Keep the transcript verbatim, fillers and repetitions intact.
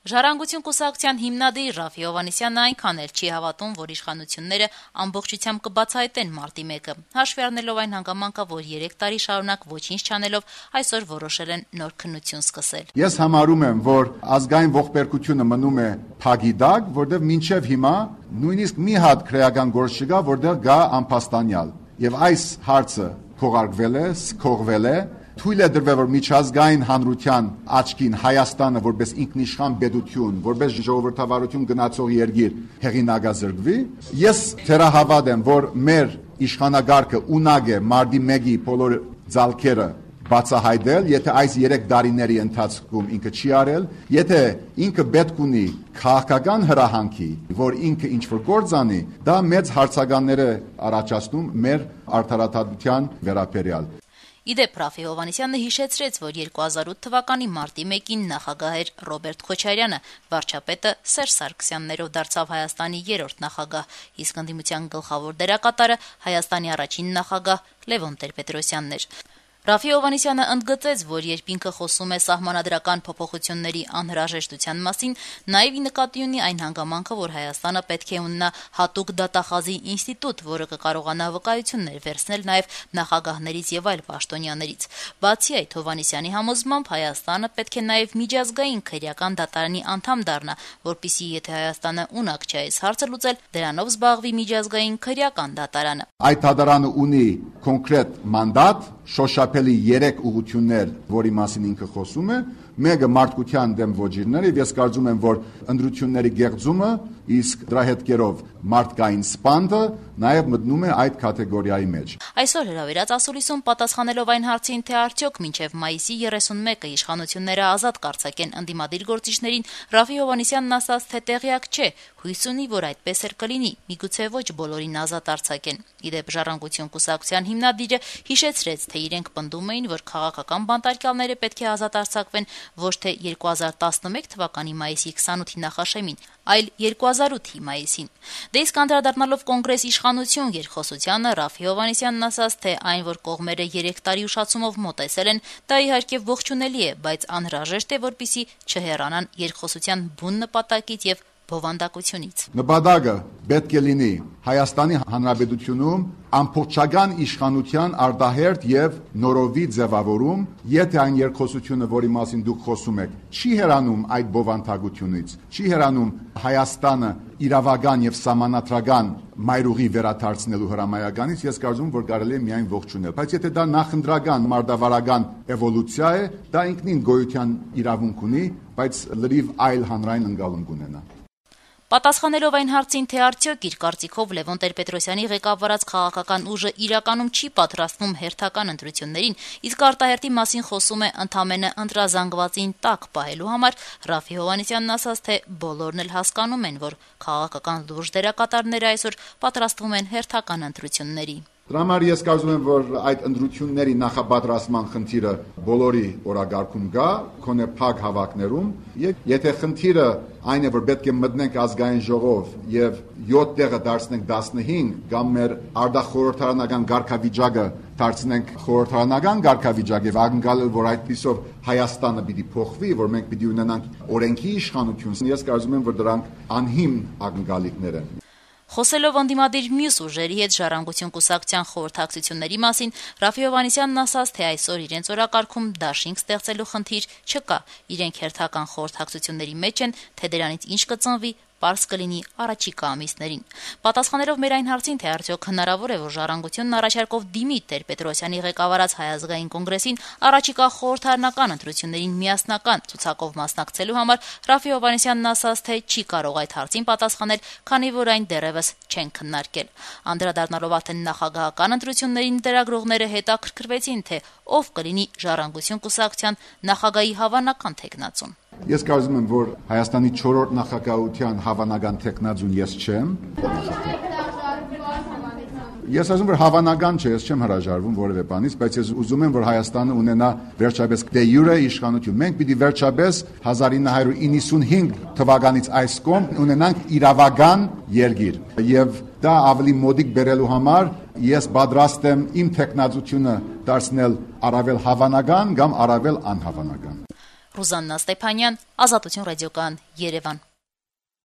Ժառանգություն կուսակցության հիմնադիր Ռաֆի Հովհաննիսյանն այնքան էլ չի հավատում, որ իշխանությունները ամբողջությամբ կբացահայտեն մարտի մեկը, հաշվի առնելով այն հանգամանքը, որ երեք տարի շարունակ ոչինչ չանելով այսօր որոշել են նոր քննություն սկսել։ Ես համարում եմ, որ ազգային ողբերգությունը մնում է փագի տակ, որտեղ մինչև հիմա նույնիսկ մի հատ քրեական գործ չկա, որտեղ գա անփաստանյալ։ Եվ այս հարցը քողարկվել է, սկողվել է, թույլ է դրվել, որ միջազգային հանրության աչքին Հայաստանը որպես ինքնիշխան պետություն, որպես ժողովրդավարություն գնացող երկիր հեղինակազրկվի։ Ես թերահավատ եմ, որ մեր իշխանագարքը ունակ է մարտի մեկի բոլոր ձալքերը բացահայտել, եթե այս երեք տարիների ընթացքում ինքը չի արել, եթե ինքը պետք ունի քաղաքական հրահանգի, որ ինքը ինչ-որ գործ անի, դա մեծ հարցականներ է առաջացնում մեր արդարադատության վերաբերյալ։ Իդեպ Ռաֆի Հովհաննիսյանը հիշեցրեց, որ երկու հազար ութ թվականի մարտի մեկին նախագահ էր Ռոբերտ Քոչարյանը, վարչապետը Սերժ Սարգսյաններով դարձավ Հայաստանի երրորդ նախագահ, իսկ ընդդիմության գլխավոր դերակատարը Հայաստանի առաջին նախագահ Լևոն Տեր-Պետրոսյանն էր։ Ռաֆի Հովհաննիսյանը ընդգծեց, որ երբ ինքը խոսում է սահմանադրական փոփոխությունների անհրաժեշտության մասին, նաև նկատի ունի այն հանգամանքը, որ Հայաստանը պետք է ունենա հատուկ դատախազի ինստիտուտ, որը կկարողանա վկայություններ վերցնել նաև նախագահներից եւ այլ պաշտոնյաներից։ Բացի այդ, Հովհաննիսյանի համոզմամբ Հայաստանը պետք է նաև միջազգային քրեական դատարանի անդամ դառնա, որպիսի եթե Հայաստանը ունակ չէ այս հարցը լուծել, դրանով զբաղվի միջազգային քրեական դատարանը։ Այդ դատարանը ունի կոնկրետ մանդատ, շոշափելի երեք ուղղություններ, որի մասին ինքը խոսում է, մեկը մարդկության դեմ ոչիրները, եւ ես կարծում եմ, որ ընդրությունների գեղձումը, իսկ դրա հետքերով մարդկային սպանդը նաև մտնում է այդ կատեգորիայի մեջ։ Այսօր հրավիրած ասուլիսում պատասխանելով այն հարցին, թե արդյոք մինչև մայիսի երեսունմեկը իշխանությունները ազատ կարձակեն ընդդիմադիր գործիչներին, Ռաֆի Հովհաննիսյանն ասաց, թե տեղյակ չէ, հույս ունի, որ այդպես էլ կլինի, միգուցե ոչ բոլորին ազատ արձակեն։ Իդեպ Ժառանգություն կուսակցության հիմնադիրը հիշեցրեց, թե իրենք պնդում էին, որ քաղաքական բանտարկյալները պետք է ազատ արձակվեն ոչ թե երկու հազար տասնմեկ թվականի մայիսի քսանութի նախաշեմին, այլ երկու հազար ութի մայիսին։ Դե իսկ անդրադառնալով կոնգրես իշխանություն երկխոսությանը, Ռաֆի Հովհաննիսյանն ասաց, թե այն, որ կողմերը երեք տարի ուշացումով մոտեցել են, դա իհարկե ողջունելի է, բայց անհրաժեշտ է, որպեսզի չհեռանան երկխոսության բուն նպատակից եւ բովանդակությունից։ Նպատակը պետք է լինի Հայաստանի Հանրապետությունում ամբողջական իշխանության արտահերթ եւ նորովի ձևավորում, եթե այն երկխոսությունը, որի մասին դուք խոսում եք, չի հեռանում այդ բովանդակությունից, չի հեռանում Հայաստանը իրավական եւ սահմանադրական մայրուղի վերադարձնելու հրամայականից, ես կարծում եմ, որ կարելի է միայն ողջունել։ Բայց եթե դա նախընտրական մարտավարական էվոլյուցիա է, դա ինքնին գոյության իրավունք ունի, բայց լրիվ այլ հանրային ընկալում կունենա։ Պատասխանելով այն հարցին, թե արդյոք իր կարծիքով Լևոն Տեր-Պետրոսյանի ղեկավարած քաղաքական ուժը իրականում չի պատրաստվում հերթական ընտրություններին, իսկ արտահերթի մասին խոսում է ընդամենը ընտրազանգվածին տակ պահելու համար, Ռաֆի Հովհաննիսյանն ասաց, թե բոլորն էլ հասկանում են, որ քաղաքական լուրջ դերակատարները այսօր պատրաստվում են հերթական ընտրությունների։ Դրա համար ես կարծում եմ, որ այդ ընտրությունների նախապատրաստման խնդիրը բոլորի օրագարկում գա, քոնե փակ հավաքներում, եւ եթե խնդիրը այն է, որ պետք է մտնենք ազգային ժողով եւ յոթ տեղը դարձնենք տասնհինգ կամ մեր արտախորհրդարանական ղարքավիճակը դարձնենք խորհրդարանական ղարքավիճակ եւ ակնկալել, որ այդպիսով Հայաստանը պիտի փոխվի, որ մենք պիտի ունենանք օրենքի իշխանություն, ես կարծում եմ, որ դրանք անհիմն ակնկալիքներ են։ Խոսելով ընդդիմադիր մյուս ուժերի հետ Ժառանգություն կուսակցության խորհրդակցությունների մասին, Ռաֆի Հովհաննիսյանն ասաց, թե այսօր իրենց օրակարգում դաշինք ստեղծելու խնդիր չկա, իրենք հերթական խորհրդակցությունների մեջ են, թե դրանից ինչ կծնվի, պարզ կլինի առաջիկա ամիսներին։ Պատասխանելով մեր այն հարցին, թե արդյոք հնարավոր է, որ Ժառանգությունն առաջարկով դիմի Տեր-Պետրոսյանի ղեկավարած Հայ ազգային կոնգրեսին առաջիկա խորհրդարանական ընտրություններին միասնական ցուցակով մասնակցելու համար, Ռաֆի Հովհաննիսյանն ասաց, թե չի կարող այդ հարցին պատասխանել, քանի որ այն դեռևս չեն քննարկել։ Անդրադառնալով արդեն նախագահական ընտրություններին լրագրողները հետաքրքրվեցին, թե ով կլինի Ժառանգություն կուսակցության նախագահի հավանական թեկնածուն։ Ես կարծում եմ, որ Հայաստանի չորրորդ նախագահության հավանական թեկնածուն ես չեմ։ Ես ասում եմ, որ հավանական չէ, ես չեմ հրաժարվում որևէ բանից, բայց ես ուզում եմ, որ Հայաստանը ունենա վերջապես դե յուրե իշխանություն։ Մենք պիտի վերջապես հազար ինը հարյուր իննսունհինգ թվականից այս կողմ ունենանք իրավական երկիր։ Եվ դա ավելի մոդիկ բերելու համար ես պատրաստ եմ իմ թեկնածությունը դարձնել առավել հավանական կամ առավել անհավանական։ Ռուզաննա Ստեփանյան, Ազատություն ռադիոկայան, Երևան։